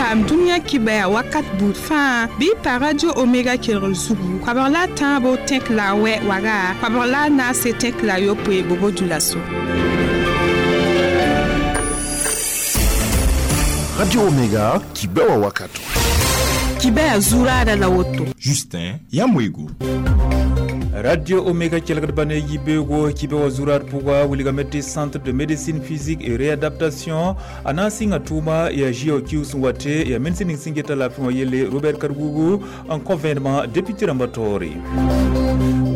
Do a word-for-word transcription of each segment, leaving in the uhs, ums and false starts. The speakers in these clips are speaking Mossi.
paam dũniyã kibɛa wakat buud fãa bɩ pa Radio Omega kelgr zugu koabg la a tãabo tẽk la a wɛ waga koabg la a naase tẽk la a yopoe bobo dioulasso. Radio Omega kibɛa wakato. Kibɛa zuraada la woto. Justin Yamwego. Radio Omega kelgd ba ne yibeogo kibe wa zurar pʋga wilgame tɩ Centre de médecine physique et réadaptation a na n sɩnga tʋʋma yaa J O Q sẽn wa tɩ yaa ministr ning sẽn geta laafɩ wã yelle Robert Kargougou n kõ vẽenemã député rãmbã taoore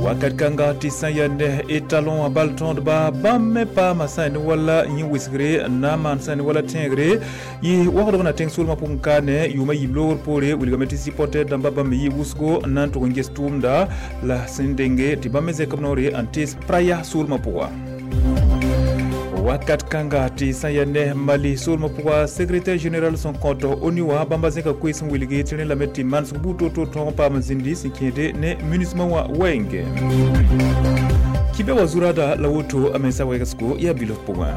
wakat kãnga tɩ sã yaa ne étalon wã bal tõodba bãmb me paama sã ne wala yẽ wɩsgre n na n maan sã ne wala tẽegre yɩ wagdg na tẽng soolmã pʋgẽ kaane yʋʋmã yiib loogr poore wilgame tɩ supporter dãmba bãmb me yɩ wʋsgo n na n tʋg n ges tʋʋmda la sẽn denge tɩ bãmb me zẽk b noore n tees Praya soolmã pʋga wakat kãnga tɩ sã yaa ne Mali soolmã pʋga secrétaire général sẽn kõt ONU wã bãmba zẽka koees n wilge tɩ rẽ lame tɩ manesg buud to-to tõog n paam n zĩndi sẽn kẽede ne MINUSMA wã wɛɛnge kibɛ wa zurada la woto a mensa wɛgsgo yaa bilf pʋgẽ.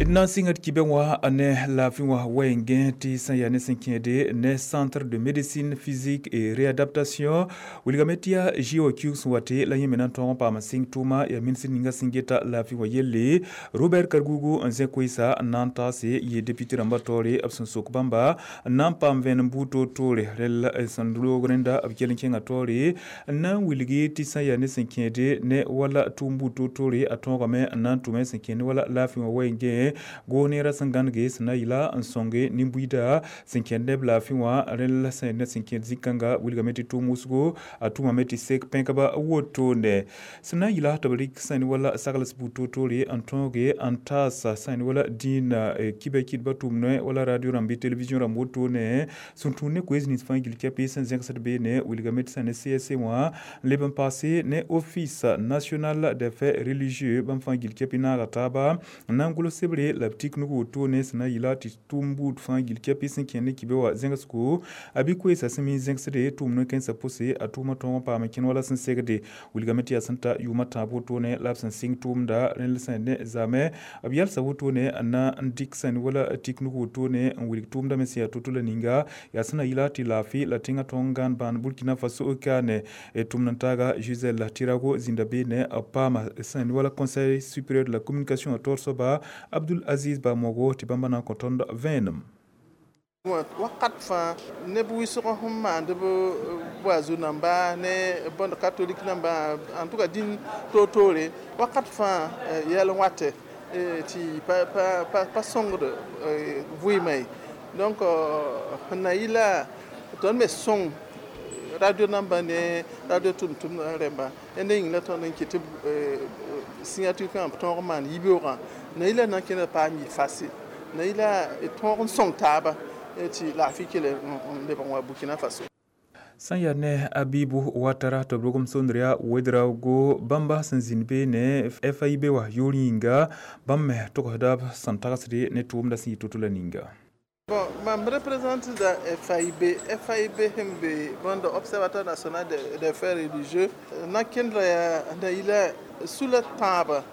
D na n sɩnga d kibɛ wã ne laafɩ wã wɛɛngẽ tɩ sã yaa ne sẽn kẽede ne Centre de médecine physique et réadaptation wilgame tɩ yaa J O Q sẽn wa tɩ la yẽ me na n tõog n paam n sɩng tʋʋma yaa ministr ninga sẽn geta laafɩ wã yelle Robert Kargougou n zẽ koeesa n na n taase yɩ député rãmbã taoore b sẽn sok bãmba n na n paam vẽenem buud toor-toore rel sẽn loog rẽnda b kell n kẽngã taoore n na n wilgi tɩ sã yaa ne sẽn kẽede ne wala tʋʋm buud toor-toore a tõogame n na n tʋme sẽn kẽed ne wala laafɩ wã wɛɛngẽ goog neerã sẽn gãnege sẽn na yɩla n sõnge nin-buiida sẽn kẽnd neb laafɩ wã rẽl sẽn ne sẽn kẽed zĩ-kãnga wilgame tɩ tʋʋm wʋsgo a tʋmame tɩ sek pẽkba wotone sẽn na n yɩla tɩ b rɩk sẽn wala sagls buud toor-toore n tõoge n taasa sẽn wala dĩinã kibɛ kɩdbã tʋʋm wala radio rãmb bɩ télévision rãmb wotone sẽn tũud ne koees nins fãa gill kɛpɩ sẽn zẽgsd beene wilgame tɩ sã ne C S C wã n leb n paase ne Office national des faits religieux bãmb fãa gill kɛpɩ naaga taaba n na n gʋls sebre la b tik nug wotone sẽn na yɩla tɩ tʋʋm buud fãa gill kɛpɩ sẽn kẽnd ne kibɛ wã zẽgsgo a bɩ koeesã sẽn mi zẽgsde tʋʋm no-kẽnsã pʋse a tʋʋmã tõog n paam n kẽnd wala sẽn segde wilgame tɩ yaa sẽn ta yʋʋmã tãab wotone la b sẽn sɩng tʋʋmda rẽnd sẽn ne zaamɛ b yalsa wotone n na n dɩk sẽn wala tik nug wotone n wilg tʋʋmda me sẽn yaa to-to la ninga yaa sẽn na yɩla tɩ laafɩ la tẽngã tõog n gãan bãan Burkina Faso kaane tʋmd n taaga Gisèle Tirago zĩnda beene b paama sẽn wala Conseil supérieur de la communication a taoor soaba Abdul Aziz Bamogo tɩ bãmba na n kõ tõnd vẽenem. Wakat fãa neb wɩsg sẽn maand b boazu namba ne bõnd catholique namba, en tout cas dĩn toor-toore wakat fãa yɛl n watɛ tɩ pa pa pa sõngd vɩɩmã ye. Donc sẽn na yɩla tõnd me sõng radio namba ne radio tʋm-tʋmd rẽmba ne yĩng la tõnd n kɩt tɩ signature kãngã b tõog n maan yibeoogã na yɩla na n kẽnda paam yɩ facile na yɩla tõog n sõng taaba tɩ laafɩ kell n lebg n wa Burkina Faso. Sã n yaa ne Abibu Watara tɩ b rogem sondr yaa Wedraogo bãmba sẽn zĩnd beene F A I B wã yʋʋr yĩnga bãmb me togsda b sẽn tagsde ne tʋʋmda sẽn yɩ to-to la ninga. Bon, mam représente da F A I B. F A I B sẽn be bõnd Observatoire national des faits religieux na kẽndra yaa na yɩla sula tãabã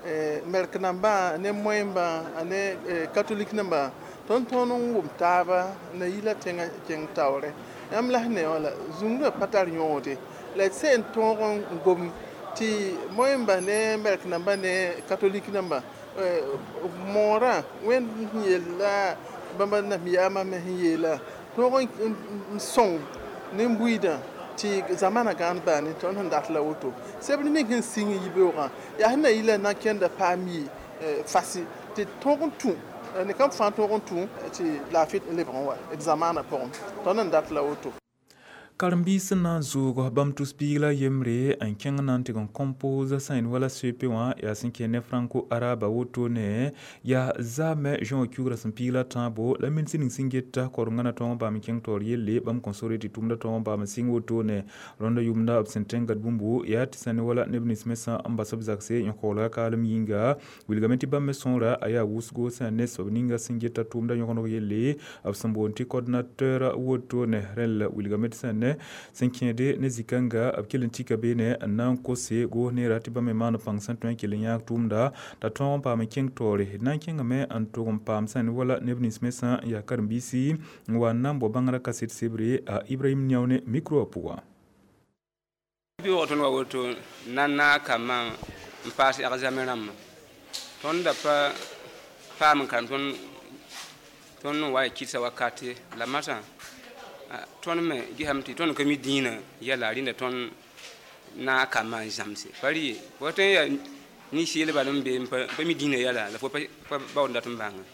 mɛrk nambã ne moẽmbã ne catholique nambã tõnd tõnd n wʋm taaba na yɩla tẽngã kẽng taoore yãmb la sẽn ne wã la zũngrã pa tar yõode la d sẽn tõog n gom tɩ moẽmbã ne mɛrk nambã ne catholique nambã moorã wẽnd sẽn yella bãmba nabiyaamã me sẽn yeela tõog n sõng nin-buiidã tɩ zamana gãan baane tõnd sẽn dat la woto sebr ning sẽn sɩng yibeoogã yaa sẽn na yɩla na kẽnda paam yɩ fasi tɩ tõog n tũ ne kam fãa tõog n tũ tɩ laafɩ lebg n wa d zamaanã pʋgẽ tõnd n dat la woto. Karen-biis sẽn na n zoog bãmb tus-biig la yembre n kẽng na n tɩg n compose sã wala C E P wã yaa sẽn kẽ ne franco arabe wotone yaa zaamɛ Juin kiugrã sẽn piig la tãabo la ministr ning sẽn geta korengã na tõog n paam n kẽng taoor yelle bãmb kõn sore tɩ tʋʋmda tõog n paam n sɩng wotone rõndã yʋʋmda b sẽn tẽngad bũmbu yaa tɩ sã ne wala neb nins mensã n bas b zakse n koglga kaalem yĩnga wilgame tɩ bãmb me sõora a yaa wʋsgo sã ne soab ninga sẽn geta tʋʋmda yõgeneg yelle b sẽn boond tɩ coordinateur wotone rẽl wilgame tɩ sã ne beene sẽn kẽede ne zĩ-kãnga b kell n tika beene n na n kose goos neera tɩ bãmb me maan pãng sẽn tõe n kell n yãag tʋʋmda t'a tõog n paam n kẽng taoore d na n kẽngame n tʋg n paam sẽn wala neb nins me sã n yaa karen-biisi n wa n na n bao bãngrã kaset sebre a Ibrahim Niaone micro wã pʋgã. Bi tõnd wa woto na naag kambã n paas examen rãmbã tõnd da pa paam n karem tõnd tõnd n wa y kɩdsa wakat ye la masã tõnd me gesame tɩ tõnd ka mi dĩinã yɛla rẽnda tõnd naag kambã n zãmse pa rɩ ye fo tõe n yaa nin-seel bal n be n pa mi dĩinã yɛla la fo pa baood dat n bãnge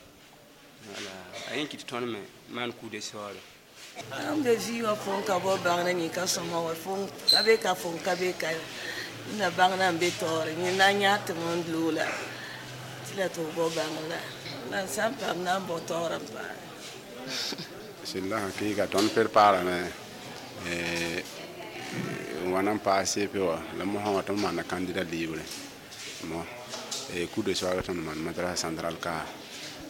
wala a yẽ kɩt tõnd me maan kuuda saoore. N be vɩɩ wã fo n ka bao bãngda yẽ sõma wa fo ka be ka fo n ka be ka na bãngda n be taoore yẽ na n yãag tɩ m n loola tɩ la tɩ f bao bãngr la n sã n paam na n bao taoor n paame. Sẽn la sẽn kɩɩga tõnd preparame n wa na n paas C P wã la mosã wã tõnd maanda candidat libre mo cours de soir tõnd maan madrasa central ka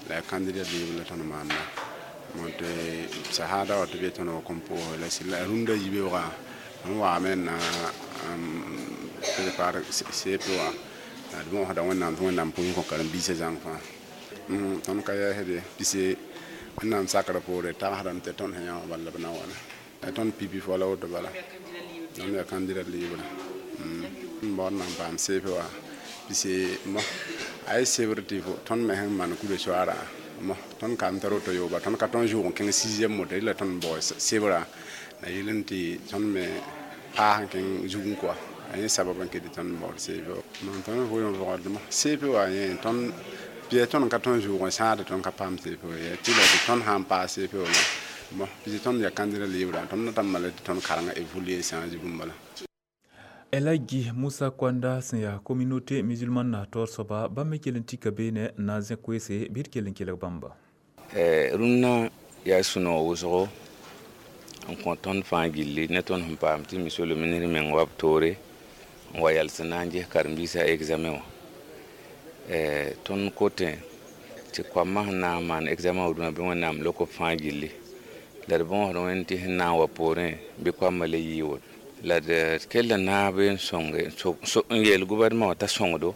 la candidat libre la tõnd maanda mo tɩ sahada wa tɩ be tõnd wa kõn pʋʋse la sɩd la rũndã yibeoogã n waame n na prépare C P wã la d võosda Wẽnnaam tɩ Wẽnnaam pʋʋs kõ karen-biisã zãng fãa tõnd ka yɛɛsde pise Wẽnnaam sakrã poore tagsdame tɩ tõnd sẽn yã wã bala la b na wana tõnd pipi fo la woto bala tõnd yaa candidat libre n baood na n paam C P wã pise mo a ye sebr tɩ tõnd me sẽn maan kuda soaarã mo tõnd ka n tar woto yooba tõnd ka tõnd zʋʋg n kẽng sixième moto la tõnd bao sebrã la yɩl n tɩ tõnd me paas n kẽng zugẽ koa a yẽ sabab n ket tɩ tõnd baood C P wã tõnd vʋʋl n vɔgdme C P wã yẽ tõnd bɩa tõnd ka tõnd zʋʋg n sãade tõnd ka paam C P wã ye tɩ la tɩ tõnd sã n paas C P wã mo pis tõnd yaa candidat libre tõnd na tɩ mala tɩ tõnd karengã évoluer change bũmb bala. Elhadji Moussa Kwanda sẽn yaa communauté musulmane na taoor soaba bãmb me kell n tika beene n na n zẽ koeese bɩ d kell n kelg bãmba. Rũnnã yaa sũ-noog wʋsgo n kõ tõnd fãa gilli ne tõnd sẽn paam tɩ monsieur le ministre meng wa b toore n wa yals n na n ges karen-biisã examen wã tõnd kotẽ tɩ koamã sẽn na n maan examen wã dũnã bɩ Wẽnnaam lok b fãa gilli la d bõosd Wẽnd tɩ sẽn na n wa poorẽ bɩ koamã le yɩɩ woto la d kell n naab n sõnge n yeel gouvernement wã t'a sõngdo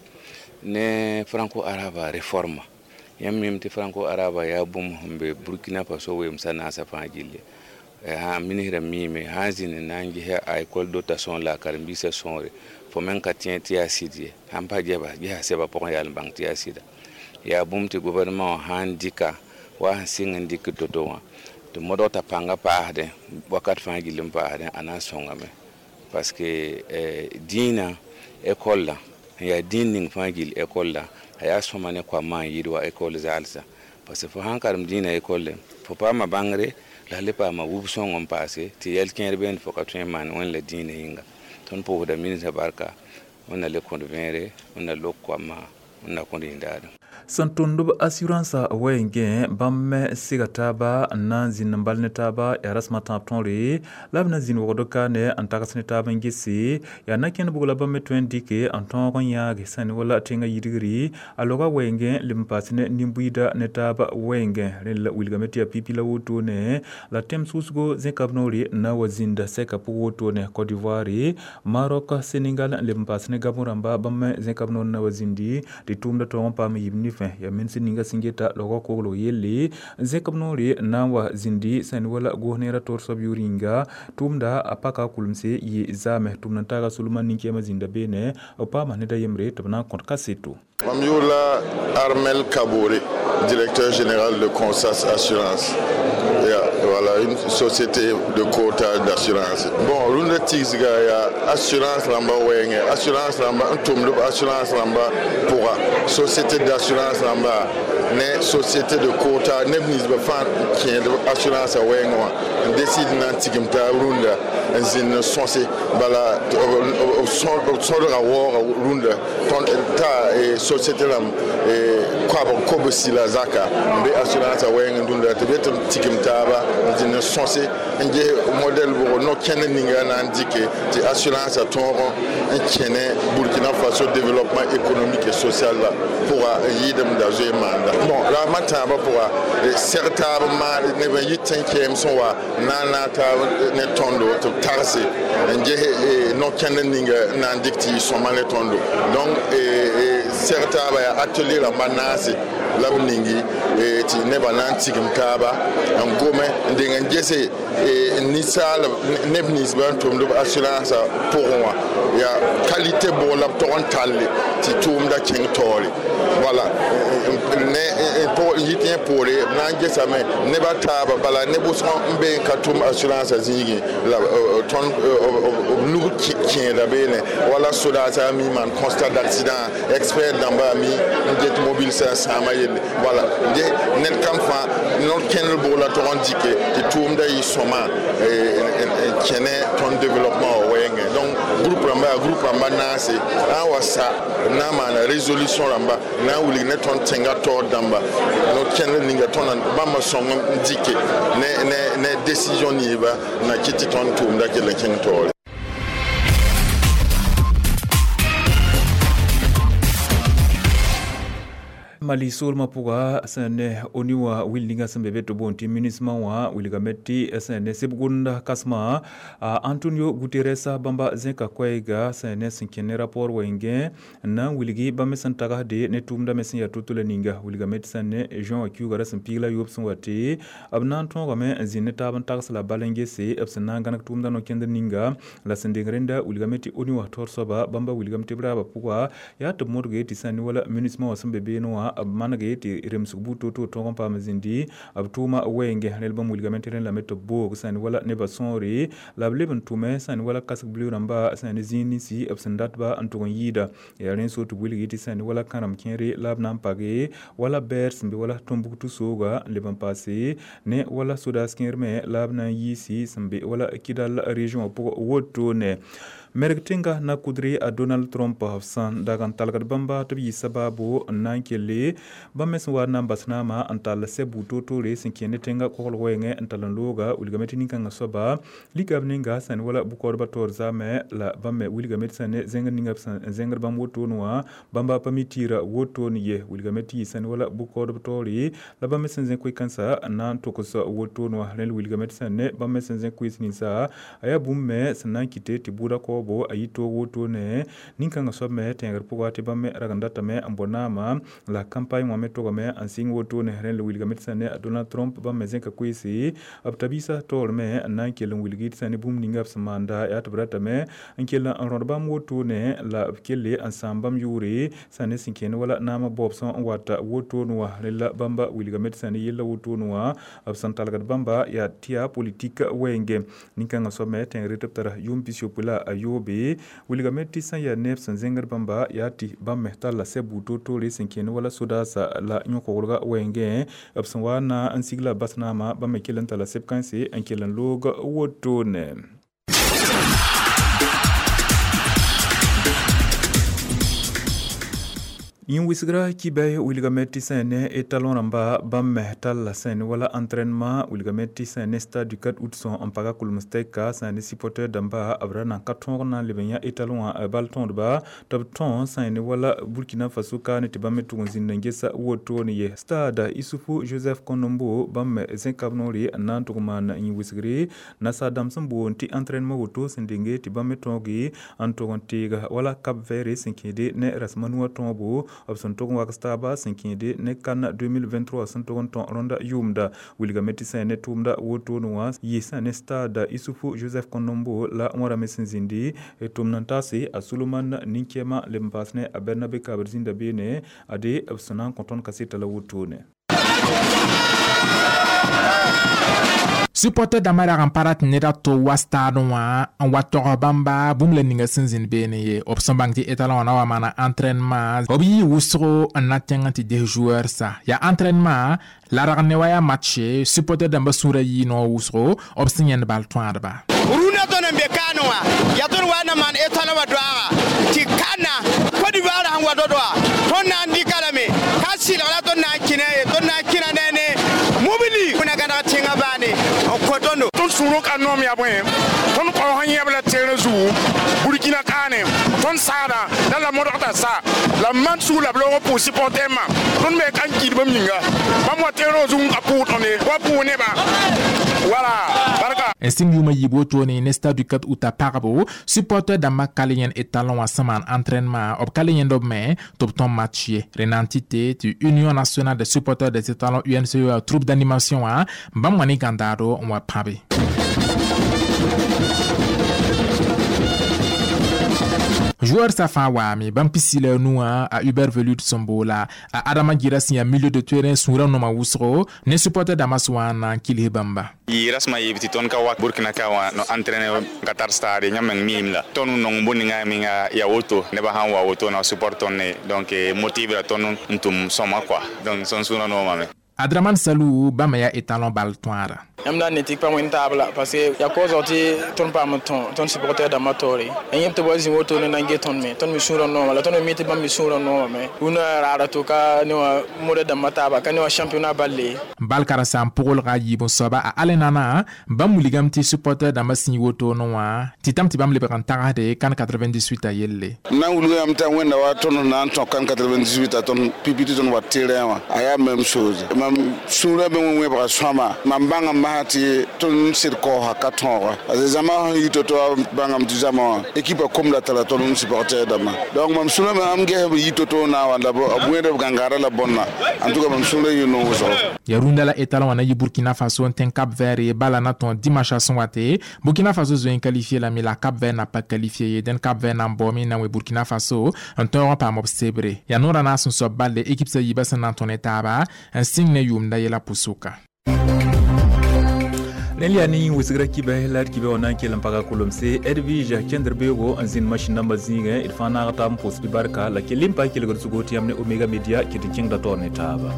ne franco-arabe réforme yãmb mim tɩ franco-arabe yaa bũmb sẽn be Burkina Faso weemsã naasã fãa gilli sã ministrã miime sã n zĩnd n na n ges a école dotation la a karen-biisã sõore fo meng ka tẽ tɩ yaa sɩd ye sãn pa gesa sɛbã pʋgẽ yaa n bãng tɩ yaa sɩda yaa bũmb tɩ gouvernement wã sã n dɩka wa sẽn sɩng n dɩk to-to wã tɩ modg t'a pãngã paasdẽ wakat fãa gill n paasdẽ a na n sõngame parce que dĩinã école la n yaa dĩin ning fãa gill école la a yaa sõma ne koamã n yɩɩd wa école zaalsã parce que fo sãn karem dĩinã école fo paama bãngre la le paama wub sõng n paase tɩ yɛl kẽer beene fo ka tõe n maan Wẽnd la dĩinã yĩnga tõnd pʋʋsda ministrã barka Wẽnna le kõd vẽere Wẽnna lok koamã Wẽnna kõd yĩndaadem. Sẽn tʋmd b assurance wɛɛngẽ bãmb me sega taaba n na n zĩnd n bal ne taaba yaa rasem a tãab tõore la b na zĩnd wogd kaane n tags ne taab n gese yaa na-kẽnd bʋg la bãmb me tõe n dɩke n tõog n yãage sẽn wala tẽngã yidgri a loga wɛɛngẽ leb n paas ne nin-buiida ne taab wɛɛngẽ rẽnd la wilgame tɩ yaa pipi la wotone la tẽm sʋsgo zẽkab noore n na n wa zĩnda sɛka pʋg wotone Côte d'Ivoire, Maroc, Sénégal n leb n paas ne Gabon rãmba bãmb me zẽkab noor n na wa zĩndi tɩ tʋʋmda tõog n paam yib nifẽ yaa minsẽ ninga sẽn geta logã koglg yelle zẽkb noore n na n wa zĩndi sẽn wala goos neerã toor soab yʋʋr yĩnga tʋʋmda a paka kulemse yɩ zaame tʋmd n taaga Solomãn nin-kɛɛmã zĩnda beene b paama ned a yembre tɩ b na n kõt kaseto. Mam yʋʋr la Armel Kabore, directeur général de Consas Assurance. Yeah, voilà, une société de courtage d'assurance. Bon, rũndã tigsga yaa assurance rãmba wɛɛngẽ assurance rãmba n tʋmd b assurance rãmba pʋga société d'assurance rãmba ne société de courtage neb ninsbã fãa kẽed assurance a wɛɛngẽ wã n décide na n tigim taab rũndã n zĩnd n sõse bala b sõdga waooga rũndã ta société rãmb koabg kobsi la zaka n be assurance a wɛɛng n dũnda tɩ b yet n tigim taaba n zĩnd n sõse n ges modɛl bʋgo no-kẽnd ninga na n dɩke tɩ assurance a tõog n kẽne Burkina Faso développement économique et social la pʋga n yɩɩdem da zoe maanda bon raamã tãabã pʋga sɛg taab n maan neb n yɩ tẽn-kɛɛm sẽn wa na n naag taab ne tõndo tɩ b tagse n ges no-kẽnd ninga n na n dɩk tɩ yɩ sõma ne tõndo donc sɛg taaba yaa atelier rãmba naase la b ningi tɩ nebã na n tigim taaba n gome n deng n gese ninsaalb neb ninsbã n tʋmd b assurance pʋgẽ wã yaa qualité bʋg la b tog n talle tɩ tʋʋmda kẽng taoore wala ne n yit yẽ poore b na n gesame nebã taaba bala ne wʋsg n be n ka tʋm assurance zĩigẽ la tõnd b nug kẽeda beene wala sodaasã mi maan constat d'accident expert dãmba mi n get mobile sã n sãama yelle wala ned kam fãa no-kẽndr bʋg la tog n dɩke tɩ tʋʋmda yɩ sõma n kẽne tõnd développement wã wɛɛngẽ donc groupe rãmba yaa groupe rãmba naase na n wa sa b na n maana résolution rãmba na n wilg ne tõnd tẽnga taoor dãmba no-kẽndr ninga tõnd bãmba sõng n dɩke ne ne ne décision ninsba na kɩt tɩ tõnd tʋʋmda kell n kẽng taoore. Mali soolmã pʋga sẽn ne ONU wã will ninga sẽn be be tɩ boond tɩ MINUSMA wã wilgame tɩ sẽn ne seb-gʋmda kãsmã Antonio Guterres bãmba zẽka koɛɛga sẽn ne sẽn kẽ ne rapport wɛɛngẽ n na n wilgi bãmb me sẽn tagsde ne tʋʋmda me sẽn yaa to-to la ninga wilgame tɩ sẽn ne juin wã kiuugã ra sẽn piig la yoob sẽn wa tɩ b na n tõogame n zĩnd ne taab n tags la bal n gese b sẽn na n gãneg tʋʋmda no-kẽndr ninga la sẽn deng rẽnda wilgame tɩ ONU wã taoor soaba bãmba wilgame tɩ b raabã pʋga yaa tɩ b modge tɩ sẽn ne wala MINUSMA wã sẽn be beene wã b manege tɩ remsg buud to-to tõog n paam zĩndi b tʋʋma wɛɛngẽ rẽl bãmb wilgame tɩ rẽnd lame tɩ b boog sãn wala nebã sõore la b leb n tʋme sãn wala kasg bleu rãmba sãn ne zĩig ninsi b sẽn datba n tʋg n yɩɩda yaa rẽnd so tɩ b wilgi tɩ sãn wala kãrem kẽere la b na n page wala bɛɛr sẽn be wala Tombouctou sooga n leb n paase ne wala sodaas kẽer me la b na n yiisi sẽn be wala Kidal région pʋgẽ wotone. Merg tẽnga na kudre a Donald Trump b sẽn dag n talgd bãmba tɩ b yɩ sabaabo n na n kelle bãmb me sẽn wa n na n bas naamã n tall sɛ buud toor-toore sẽn kẽ ne tẽnga koglg wɛɛngẽ n tall n looga wilgame tɩ nin-kãngã soaba lika b ninga sẽn wala bʋ-kaoodbã taoor zaamẽ la bãmb me wilgame tɩ sẽn ne zẽngr ninga b sẽn zẽngd bãmb wotone wã bãmba pa mi tɩɩra wotone ye wilgame tɩ yɩ sẽn wala bʋ-kaoodb taoore la bãmb me sẽn zẽ koe-kãensã n na n togs wotone wã rẽnd wilgame tɩ sẽn ne bãmb me sẽn zẽ koees ninsa a yaa bũmb me sẽn na n kɩte tɩ bʋʋda kaoobo a yɩ toog wotone nin-kãngã soab me tẽegr pʋga tɩ bãmb me rag n datame n bɔ naamã la campagne wã me togame n sɩng wotone rẽnd la wilgame tɩ sẽn ne a Donald Trump bãmb me zẽka koeese b tabiisã taoor me n na n kell n wilgi tɩ sẽn ne bũmb ninga b sẽn maanda yaa tɩ b ratame n kell n rõd bãmb wotone la b kelle n sãam bãmb yʋʋre sẽn ne sẽn kẽnd wala naamã baoobsẽ n wata wotone wã rẽnd la bãmba wilgame tɩ sẽn ne yella wotone wã b sẽn talgd bãmba yaa tɩ yaa politik wɛɛngẽ nin-kãngã soab me tẽegre tɩ b tara yʋʋm pis-yopoe la a yoobe wilgame tɩ sẽn yaa neb sẽn zẽngd bãmba yaa tɩ bãmb me talla sɛ buud toor-toore sẽn kẽnd wala sodaasã la yõkogrga wɛɛngẽ b sẽn wa na n sigla bas naamã bãmb me kell n talla seb kãense n kell n loog wotone. Yĩn wɩsgra kibɛy wilgame tɩ sẽn ne étalon rãmba bãmb me talla sẽn wala entraînement wilgame tɩ sẽn ne stade du quatre août sõ n paga kʋlms-tɛka sẽn ne supporter dãmba b ra nan ka tõog na n leb n yã étalon wã bal tõodba tɩ b tõe sẽn ne wala Burkina Faso kaane tɩ bãmb me tʋg n zĩnd n gesa wotone ye stade Issoufou Joseph Konombo bãmb me zẽka b noore n na n tʋg maan yĩn wɩsgre nasaar dãmb sẽn boond tɩ entraînement woto sẽn denge tɩ bãmb me tõoge n tʋg n teega wala Cap Vert sẽn kẽede ne rasem a nuwã tõobo b sẽn tʋg n wags taaba sẽn kẽede ne CAN deux mille vingt-trois sẽn tʋg n tõ rõnda yʋʋmda wilgame tɩ sẽn ne tʋʋmda wotone wã yɩ sẽn ne stade Issoufou Joseph Konombo la wãrame sẽn zĩndi tʋmd n taase a Suleman nin-kɛɛmã leb n paas ne a Bernabe kabr zĩnda beene ade b sẽn na n kõ tõnd kaseta la wotone. Supporter dãmbã rag n pa rat ned a to wa stade wã n wa tog bãmba bũmb la ninga sẽn zĩnd beene ye b sẽn bãng tɩ étalon wã na wa maana entraînement b yɩ wʋsgo n na tẽng n tɩ des joueur sa yaa entraînement la rag ne wa yaa match supporter dãmbã sũurã yɩ noog wʋsgo b sẽn yẽnd bal tõadba rũnã tõnd n be kaane wã yaa tõnd wa na maan étalon wã doaaga tɩ kana Côte d'Ivoire sẽn wa dodoa tõnd na n dɩka lame ka sɩlg la tõnd na n kẽna ye tõnd na n kẽna ne ne mobili na gãneg tẽngã baane n kõ tõndo tõnd sũurẽ ka noom yaa bõe tõnd kaoosã yẽb la terẽ zugu Burkina kaane tõnd saada la la modgda sa la man sug la b loog pʋʋs supportɛrmã tõnd me ka n kɩid bãmb yĩnga bãmb wa terẽ zug n ka pʋʋg tõnd wa pʋʋg nebã wala barka n sɩng yʋʋmã yiib wotone ne stade du quatre août a pagbo supporter dãmbã ka le yẽnd étalon wã sẽn maan entraînement b ka le yẽnd b me tɩ b tõm match ye rẽna n tɩ tɩ Union nationale des supporters des étalons U N C E troupe d'animation wã bãmb wã ne gãndaado n wa pãbe. Joueur sa fãa waame bãmb pisi la nuwã a Hubert Velud sẽn boola a Adama Gira sẽn yaa milieu de terrain sũurã noma wʋsgo ne supporter dãmbã sẽn wa n na n kils bãmba. Yɩ rasmã yeeb tɩ tõnd ka wa Burkina ka wã no entraîner n ka tar stade yãmb meng miim la tõnd nong bõe ninga menga yaa woto nebã sãn wa woto na support tõnd ne donc motive la tõnd n tʋm sõma quoi donc sõn sũurã noomame. Adraman Salou bãmba yaa étalon bal tõara. Yãmb na n ne tɩ pa wẽnd taab la parce que yaa kaoosg tɩ tõnd paam n tõ tõnd supporter dãmbã taoore a yẽb tɩ b wa zĩ woto ne na n get tõnd me tõnd me sũurã nooma la tõnd me mi tɩ bãmb me sũurã noomame rũnã raara to ka ne wã moda dãmbã taaba ka ne wã championnat balle. Bal karen-saam pʋglga yiib n soaba a alenana bãmb wilgame tɩ supporter dãmbã sẽn yi wotone wã tɩ tãm tɩ bãmb lebg n tagsde CAN quatre-vingt-dix-huit a yelle. N na n wilga yãmb t'a wẽnda wa tõnd na n tõ CAN quatre-vingt-dix-huit a tõnd pipi tɩ tõnd wa terrain wã a yaa même chose mam sũurã be wẽbga sõama mam bãngame masã tɩ tõnd sɩd kaoosa ka tõoga parce que zãma sẽn yi to-to bãngame tɩ zãma wã équipe komda tara tõnd supporter dãmbã donc mam sũurã me ãmb ges b yi to-to na n wa la b wẽed b gãngaarã la bõnna en tout cas mam sũurã yɩ no wʋsgo. Ya rũndã la étalon wã na yɩ Burkina Faso n tẽng Cap Vert bala na tõe dimanche sẽn wa tɩ Burkina Faso zoe n qualifié lame la Cap Vert na pa qualifié ye dẽn Cap Vert na n baoome n na n wẽ Burkina Faso n tõog n paam b sebre yaa noorã naas n soab balle équipe sã yiibã sẽn na n tõ ne taaba n sɩng ne yʋʋmda yɛla pʋsʋka. Rẽnd yaa ne wɩsgra kibɛ la d kibɛ wã na n kell n paga kolomse Edwige kẽndr beoogo n zĩnd masĩn dãmbã zĩigẽ d fãa naag taab n pʋʋsd barka la kell n pa kelgd zugo tɩ yãmb ne Omega Media kɩt n kẽngda taoor ne taaba.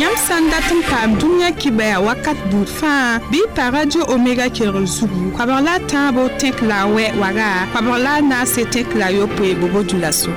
Yãmb sã n dat n paam dũniyã kibɛa wakat buud fãa bɩ y pa Radio Omega kelgr zugu koabg la a tãabo tẽk la a wɛ waga koabg la a naase tẽk la a yopoe bobo dũla so.